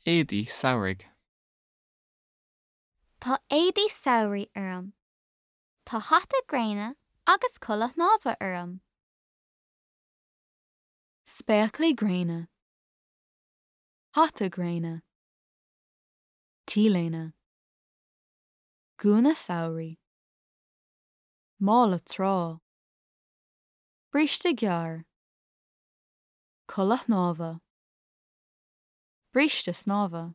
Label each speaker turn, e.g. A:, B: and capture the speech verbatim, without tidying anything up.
A: Éadaí samhraidh.
B: Tá éadaí samhraidh orm. Tá hata gréine agus culaith shnámha orm.
C: Spéaclaí gréine. Hata gréine. T-léine. Gúna samhraidh. Mála trá. Bríste gearr. Culaith shnámha. Bríste snámha.